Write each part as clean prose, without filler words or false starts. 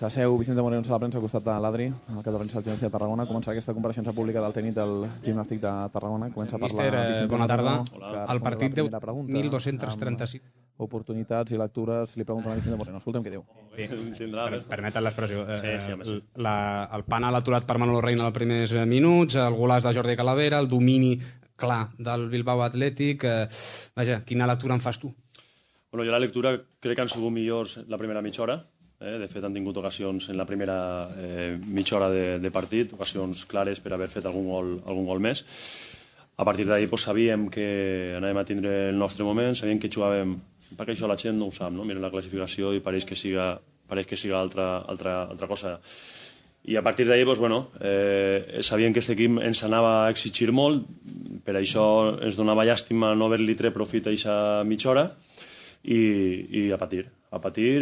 S'asseu Vicente Moreno a la premsa al costat de l'Adri, el cap de premsa del Gimnàstic de Tarragona. Comença aquesta compareixença pública del tècnic del Gimnàstic de Tarragona. Comença a parlar Míster, bona tarda. El partit deu 1.235 oportunitats i lectures. Li pregunten a Vicente Moreno. Escolta'm què diu. Permeten l'expressió. Sí. El penal aturat per Manolo Reina als primers minuts, el golaç de Jordi Calavera, el domini clar del Bilbao Atlètic. Vaja, quina lectura en fas tu? Bueno, jo la lectura crec que han sigut millors la primera mitja hora. De fet, han tingut ocasions en la primera mitja hora de partit, ocasions clares per haver fet algun gol més. A partir d'ahir sabíem que anàvem a tindre el nostre moment, sabíem que jugàvem, perquè això la gent no ho sap, no? Miren la classificació i pareix que siga altra cosa. I a partir d'ahir, sabíem que aquest equip ens anava a exigir molt, per això ens donava llàstima no haver-li tret profit a aquesta mitja hora, i a patir,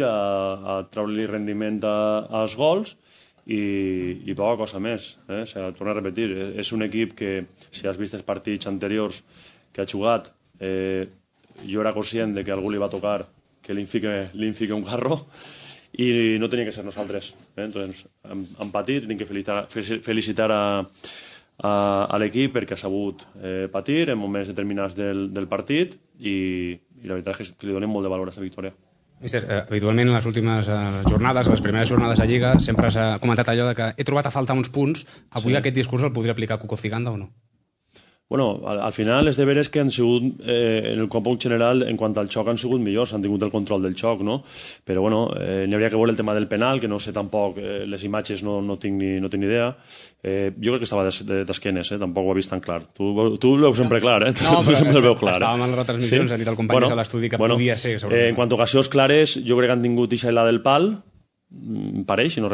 a treure-li rendiment als gols i poca cosa més. Torno a repetir, és un equip que, si has vist els partits anteriors que ha jugat, jo era conscient de que algú li va tocar que li fique un carro i no tenia que ser nosaltres. Entonces, hem patit, tinc que felicitar a l'equip perquè ha sabut patir en moments determinats del partit i la veritat és que li donem molt de valor a aquesta victòria. Míster, habitualment en les últimes jornades, les primeres jornades de Lliga, sempre s'ha comentat allò de que he trobat a faltar uns punts. Avui aquest discurs el podria aplicar Cuco Ciganda o no? Bueno, al final els deberes que han sigut en el còmput general en quant al xoc han sigut millors, han tingut el control del xoc, no? Però n'hi hauria que veure el tema del penal, que no sé tampoc, les imatges no tinc ni idea. Jo crec que estava d'esquenes, tampoc ho he vist tan clar. Tu ho veus sempre clar, No, tu sempre el veus clar. Estàvem en les retransmissions, han dit el company a l'estudi que podia ser. En quant a ocasions clares, jo crec que han tingut la del pal, pareix, si no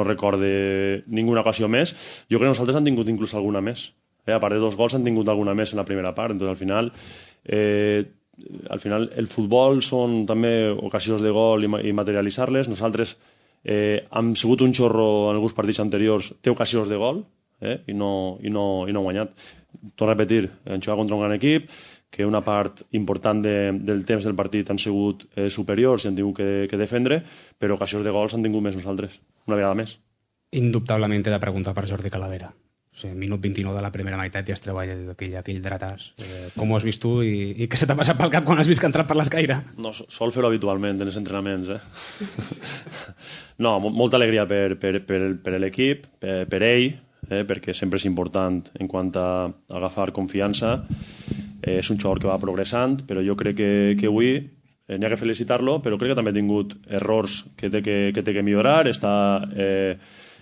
recorde ninguna ocasió més. Jo crec que nosaltres han tingut inclús alguna més. A part de 2 gols han tingut alguna més en la primera part. Entonces, al final el futbol són també ocasions de gol i materialitzar-les. Nosaltres hem sigut un xorro en alguns partits anteriors, té ocasions de gol i no ha guanyat. Torno a repetir, hem jugat contra un gran equip, que una part important del temps del partit han sigut superiors i han tingut que defendre, però ocasions de gols han tingut més nosaltres, una vegada més. Indubtablement he de preguntar per Jordi Calavera. Minut 29 de la primera meitat i es treu aquell dretàs. Com ho has vist tu i què se t'ha passat pel cap quan has vist que ha entrat per l'escaire? No, sol fer-ho habitualment en els entrenaments. No, molta alegria per l'equip, per ell, perquè sempre és important en quant a agafar confiança. És un jugador que va progressant, però jo crec que avui n'hi ha que felicitar-lo, però crec que també ha tingut errors que té que millorar, està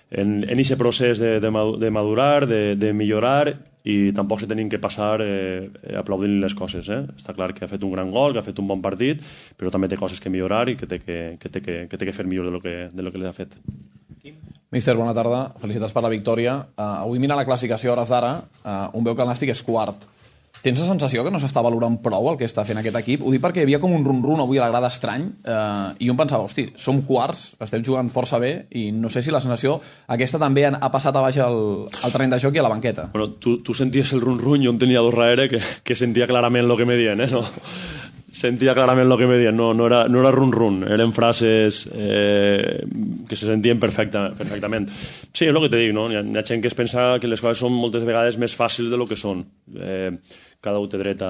en aquest procés de madurar, de millorar, i tampoc se tenim que passar aplaudint les coses. Està clar que ha fet un gran gol, que ha fet un bon partit, però també té coses que millorar i que té que fer millor de lo que li ha fet. Míster, bona tarda. Felicitats per la victòria. Avui mira la classificació a hores d'ara, on veu que el Nàstic és quart. Tens la sensació que no s'està valorant prou el que està fent aquest equip? Ho dic perquè hi havia com un run-run avui a la grada estrany i jo em pensava, hosti, som quarts, estem jugant força bé i no sé si la sensació aquesta també ha passat a baix el terreny de joc i a la banqueta. Bueno, tu senties el run-run, jo en tenia dos darrere que sentia clarament el que me dient, no? Sentia clarament el que me dient, no era run-run, eren frases que se sentien perfectament. Sí, és el que te dic, no? Hi ha gent que es pensa que les coses són moltes vegades més fàcils de lo que són. Cada un té dret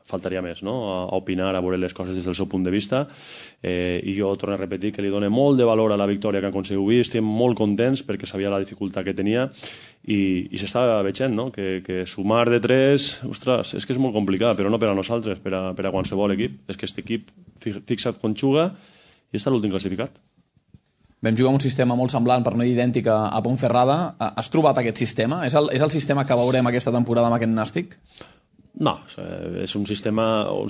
faltaria més, no? A opinar, a veure les coses des del seu punt de vista, i jo torno a repetir que li dono molt de valor a la victòria que han aconseguit avui. Estem molt contents perquè sabia la dificultat que tenia i s'està veient, no? Que sumar de 3, ostres, és que és molt complicat, però no per a nosaltres, per a qualsevol equip. És que aquest equip, fixa't quan juga, i està l'últim classificat. Vam jugar un sistema molt semblant, per no dir idèntic, a Ponferrada. Has trobat aquest sistema? És el sistema que veurem aquesta temporada amb aquest Nàstic? No, és un sistema o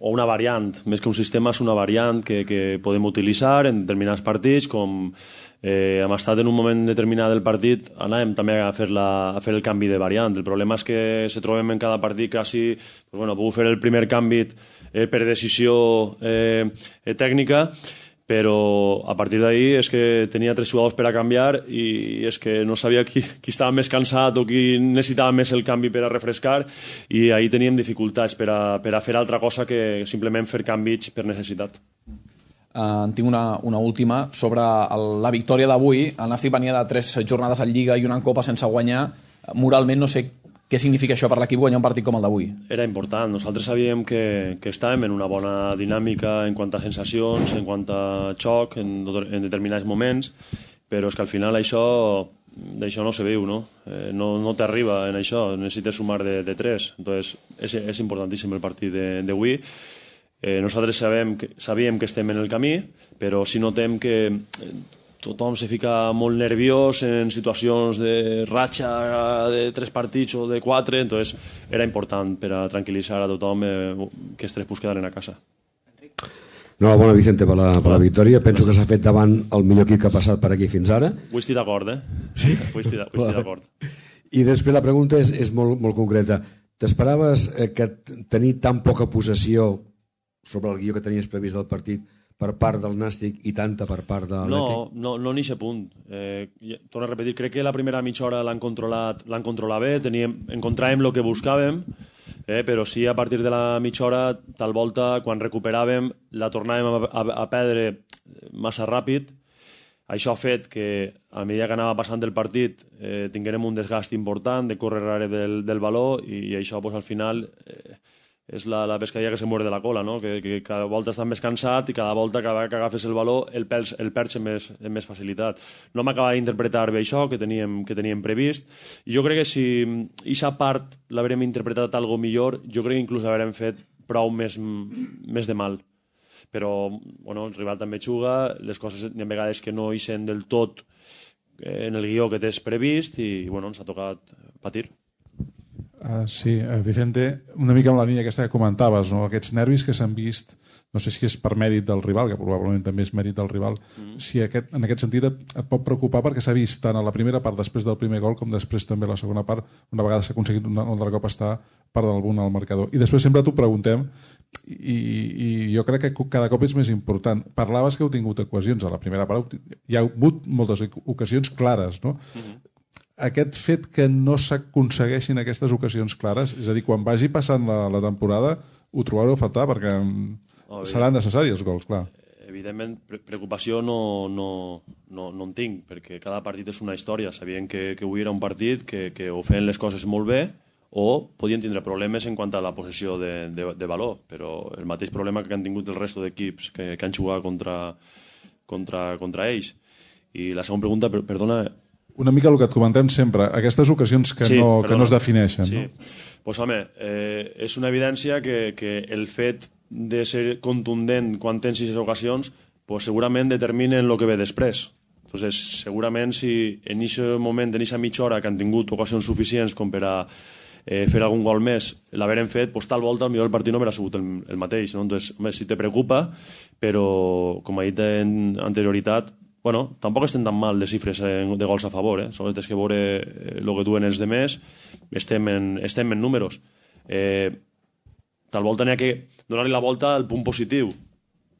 una variant, més que un sistema és una variant que podem utilitzar en determinats partits, com hem estat en un moment determinat del partit, anàvem també a fer el canvi de variant. El problema és que se trobem en cada partit quasi, puc fer el primer canvi per decisió tècnica, però a partir d'ahir és que tenia 3 jugadors per a canviar i és que no sabia qui estava més cansat o qui necessitava més el canvi per a refrescar, i ahir teníem dificultats per a fer altra cosa que simplement fer canvis per necessitat. En tinc una última sobre la victòria d'avui. El Nàstic venia de 3 jornades en Lliga i una en Copa sense guanyar. Moralment no sé què significa això per l'equip guanyar un partit com el d'avui. Era important. Nosaltres sabíem que estàvem en una bona dinàmica en quant a sensacions, en quant a xoc, en determinats moments, però és que al final d'això no se veu, no? No t'arriba en això, necessites sumar de 3. Entonces, és importantíssim el partit d'avui. Nosaltres sabíem que estem en el camí, però si notem que tothom se fica molt nerviós en situacions de ratxa de 3 partits o de 4, entonces era important per a tranquil·litzar a tothom que els 3 punts quedaren a casa. Enhorabona, Vicente, per la victòria. Penso que s'ha fet davant el millor equip que ha passat per aquí fins ara. Ho estic d'acord, Sí? Ho estic d'acord. I després la pregunta és molt concreta. T'esperaves que tenir tan poca possessió sobre el guió que tenies previst del partit per part del Nàstic i tanta per part de l'Atlètic? No n'hi ha punt. Torno a repetir, crec que la primera mitja hora l'han controlat bé, encontràvem el que buscàvem, però sí a partir de la mitja hora, tal volta, quan recuperàvem, la tornàvem a perdre massa ràpid. Això ha fet que, a mesura que anava passant el partit, tinguérem un desgast important de córrer darrere del baló i això, al final, és la pescadilla que se muere de la cola, no? Que cada volta estàs més cansat i cada volta que agafes el baló el perds amb més facilitat. No m'acaba d'interpretar bé això que teníem previst, i jo crec que si aquesta part l'haurem interpretat algo millor, jo crec que inclús haurem fet prou més de mal. Però el rival també juga, les coses hi ha vegades que no ixen del tot en el guió que tens previst i ens ha tocat patir. Sí, Vicente, una mica amb la línia aquesta que comentaves, no? Aquests nervis que s'han vist, no sé si és per mèrit del rival, que probablement també és mèrit del rival, si en aquest sentit et pot preocupar perquè s'ha vist tant a la primera part després del primer gol com després també a la segona part, una vegada s'ha aconseguit un altre cop estar per damunt al marcador. I després sempre t'ho preguntem i jo crec que cada cop és més important. Parlaves que heu tingut ocasions a la primera part, hi ha hagut moltes ocasions clares, no? Aquest fet que no s'aconsegueixin aquestes ocasions clares, és a dir, quan vagi passant la temporada ho trobareu a faltar perquè seran necessaris els gols, clar. Evidentment, preocupació no en tinc, perquè cada partit és una història. Sabien que avui era un partit que o feien les coses molt bé o podien tindre problemes en quant a la possessió de valor, però el mateix problema que han tingut el resto d'equips que han jugat contra ells. I la segona pregunta, perdona... Una mica el que et comentem sempre, aquestes ocasions que no es defineixen. Sí. No? Pues, home, és una evidència que el fet de ser contundent quan tens aquestes ocasions pues, segurament determinen el que ve després. Entonces, segurament si en aquest moment, en aquesta mitja hora que han tingut ocasions suficients com per a fer algun gol més, l'haverem fet, pues, tal volta potser el partit no haurà sigut el mateix. No? Entonces, home, si te preocupa, però com he dit en anterioritat, tampoc estem tan mal de xifres de gols a favor, sobretot és que veure el que duen els demés, estem en números. Tal volta n'hi ha que donar-li la volta al punt positiu.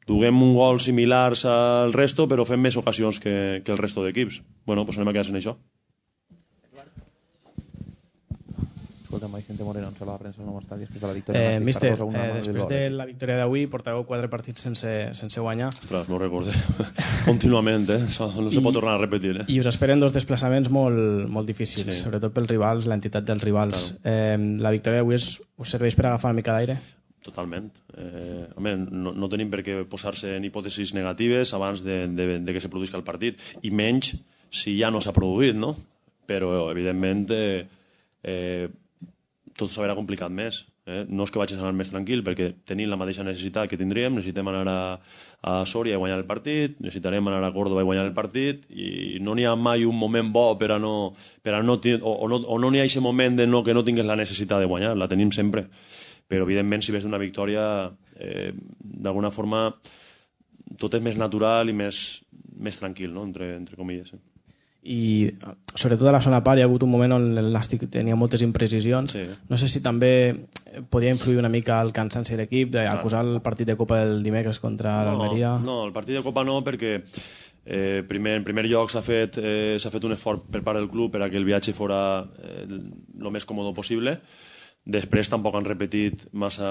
Duguem un gol similars al resto, però fem més ocasions que el resto d'equips. Doncs anem a quedar en això. Escolta'm, Vicente Moreno, en sala de premsa no està després de la victòria. Míster, després de la victòria d'avui portàveu 4 partits sense guanyar. Ostres, m'ho recordé. Contínuament, no se pot tornar a repetir. I us esperen 2 desplaçaments molt difícils, sobretot pels rivals, l'entitat dels rivals. La victòria d'avui us serveix per agafar una mica d'aire? Totalment. Home, no tenim per què posar-se en hipòtesis negatives abans de que se produïsca el partit, i menys si ja no s'ha produït, no? Però, evidentment, tot s'haurà complicat més. No és que vagis anar més tranquil, perquè tenim la mateixa necessitat que tindríem, necessitem anar a Sòria i guanyar el partit, necessitarem anar a Córdoba i guanyar el partit, i no n'hi ha mai un moment bo o no n'hi ha aquest moment que no tingues la necessitat de guanyar, la tenim sempre. Però, evidentment, si ves una victòria, d'alguna forma, tot és més natural i més tranquil, no? entre comilles. I sobretot a la segona part hi ha hagut un moment on el Nàstic tenia moltes imprecisions. No sé si també podia influir una mica el cansanci de l'equip d'acusar el partit de Copa del dimecres contra l'Almeria. No, el partit de Copa no, perquè en primer lloc s'ha fet un esforç per part del club per a que el viatge fos el més còmode possible. Després tampoc han repetit massa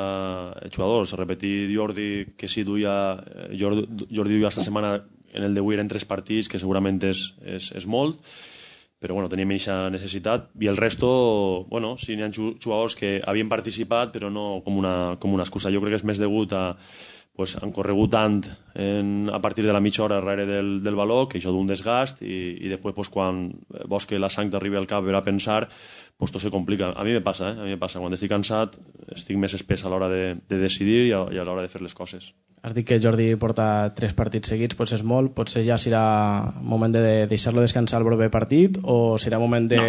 jugadors. Ha repetit Jordi, que sí Jordi duia esta setmana en el d'avui eren 3 partits, que segurament és molt, però bueno, teníem aquesta necessitat. I el resto, bueno, sí, n'hi ha jugadors que havien participat, però no com una excusa. Jo crec que és més degut a pues, han corregut tant a partir de la mitja hora darrere del baló, que això d'un desgast, i després pues, quan vols que la sang t'arribi al cap per a pensar, pues, tot se complica. A mi me passa, a mi me passa. Quan estic cansat estic més espès a l'hora de decidir i a l'hora de fer les coses. Has dit que Jordi porta 3 partits seguits, potser és molt, potser ja serà moment de deixar-lo descansar el proper partit o serà moment de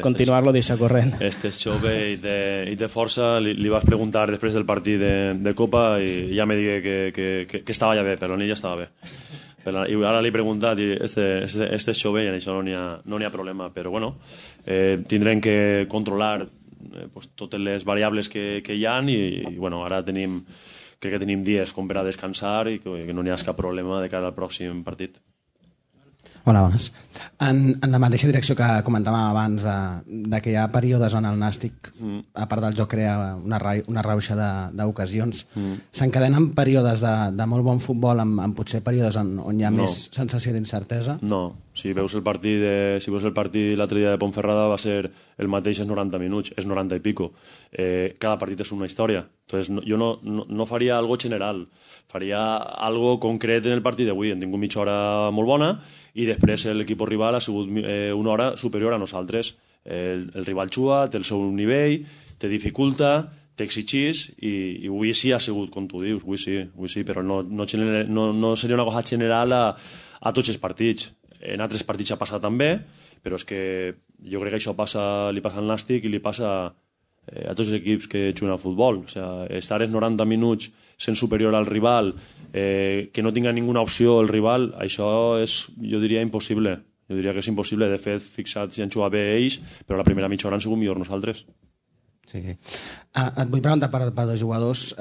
continuar-lo, deixar corrent? Este és jove i té força. Li vas preguntar després del partit de Copa i ja me digué que estava ja bé, però ell ja estava bé. I ara li he preguntat i este és jove i en això no n'hi ha problema, però bueno, tindrem que controlar totes les variables que hi ha i bueno, ara crec que tenim dies com per a descansar i que no n'hi ha cap problema de cara al pròxim partit. Hola, bones. En la mateixa direcció que comentàvem abans de que hi ha períodes on el Nàstic, a part del joc, crea una rauxa d'ocasions, s'encadenen períodes de molt bon futbol amb potser períodes on hi ha més sensació d'incertesa? No. Si veus el partit l'altre dia de Ponferrada va ser el mateix en 90 minuts, és 90 i pico. Cada partit és una història. Entonces, jo no faria algo general, faria algo concret en el partit d'avui. Hem tingut mitja hora molt bona i després l'equip rival ha sigut una hora superior a nosaltres. El rival juga, té el seu nivell, te dificulta, t'exigís i avui sí ha sigut com tu dius, avui sí, però no seria una cosa general a tots els partits. En altres partits ha passat també, però és que jo crec que això li passa al Nàstic i li passa a tots els equips que juguen al futbol. O sea, estar els 90 minuts sent superior al rival, que no tinga ninguna opció el rival, això és, jo diria, impossible. Jo diria que és impossible. De fet, fixats si han jugat bé ells, però la primera mitja hora han sigut millor nosaltres. Sí. Et vull preguntar per dos jugadors.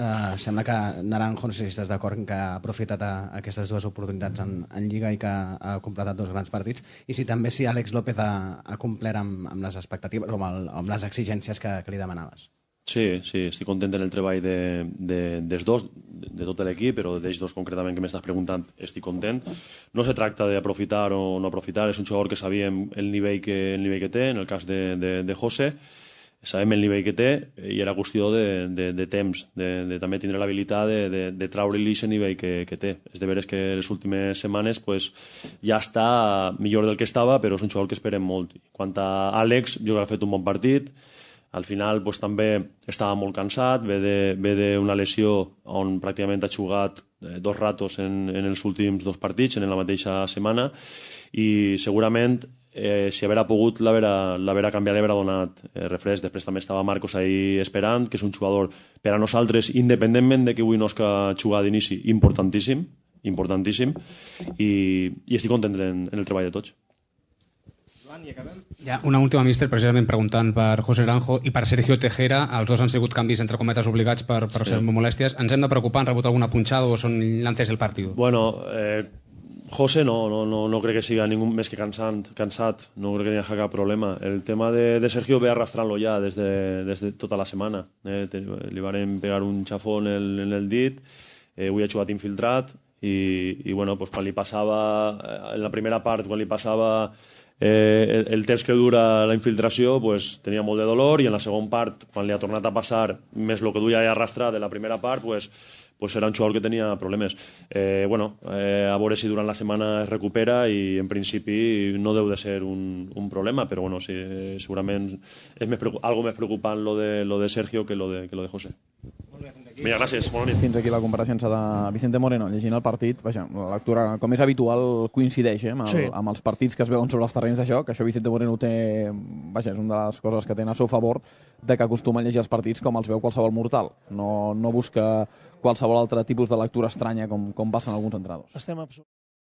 Sembla que Naranjo, no sé si estàs d'acord, que ha aprofitat aquestes 2 oportunitats en Lliga i que ha completat 2 grans partits, i si també si Àlex López ha complert amb les expectatives o amb les exigències que li demanaves. Sí, estic content en el treball dels dos, de tot l'equip, però d'ells dos concretament que m'estàs preguntant estic content. No se tracta d'aprofitar o no aprofitar, és un jugador que sabíem el nivell que té, en el cas de José, sabem el nivell que té i era qüestió de temps, de també tindre l'habilitat de treure-li aquest nivell que té. És de veres que les últimes setmanes ja està millor del que estava, però és un jugador que esperem molt. Quant a Àlex, jo crec que ha fet un bon partit. Al final també estava molt cansat, ve d'una lesió on pràcticament ha jugat 2 ratos en els últims 2 partits, en la mateixa setmana, i segurament si haguera pogut l'haguera canviat, l'haguera donat refresc. Després també estava Marcos ahí esperant, que és un jugador per a nosaltres, independentment de que avui no és que jugar d'inici, importantíssim, i estic content en el treball de tots. Ja, una última, míster, precisament preguntant per José Naranjo i per Sergio Tejera. Els dos han sigut canvis entre cometes obligats per ser molèsties. Ens hem de preocupar? Han rebut alguna punxada o són lances del partit? Bueno, José no crec que siga ningú més que cansat. No crec que hi hagi cap problema. El tema de Sergio ve arrastrant-lo ja des de tota la setmana. Li van pegar un xafón en el dit, avui ha jugat infiltrat i bueno, quan li passava en la primera part, quan li passava el temps que dura la infiltració, tenia molt de dolor, i en la segona part, quan li ha tornat a passar més el que duia arrastrat de la primera part, era un jugador que tenia problemes. A veure si durant la setmana es recupera, i en principi no deu de ser un problema, però segurament és algo més preocupant lo de Sergio que lo de José. Mira, gràcies, bona nit. Fins aquí la compareixença de Vicente Moreno llegint el partit. Vaja, la lectura, com és habitual, coincideix amb els partits que es veuen sobre els terrenys de joc. Això Vicente Moreno té... Vaja, és una de les coses que té a seu favor, de que acostuma a llegir els partits com els veu qualsevol mortal. No busca qualsevol altre tipus de lectura estranya com passen alguns entrenadors.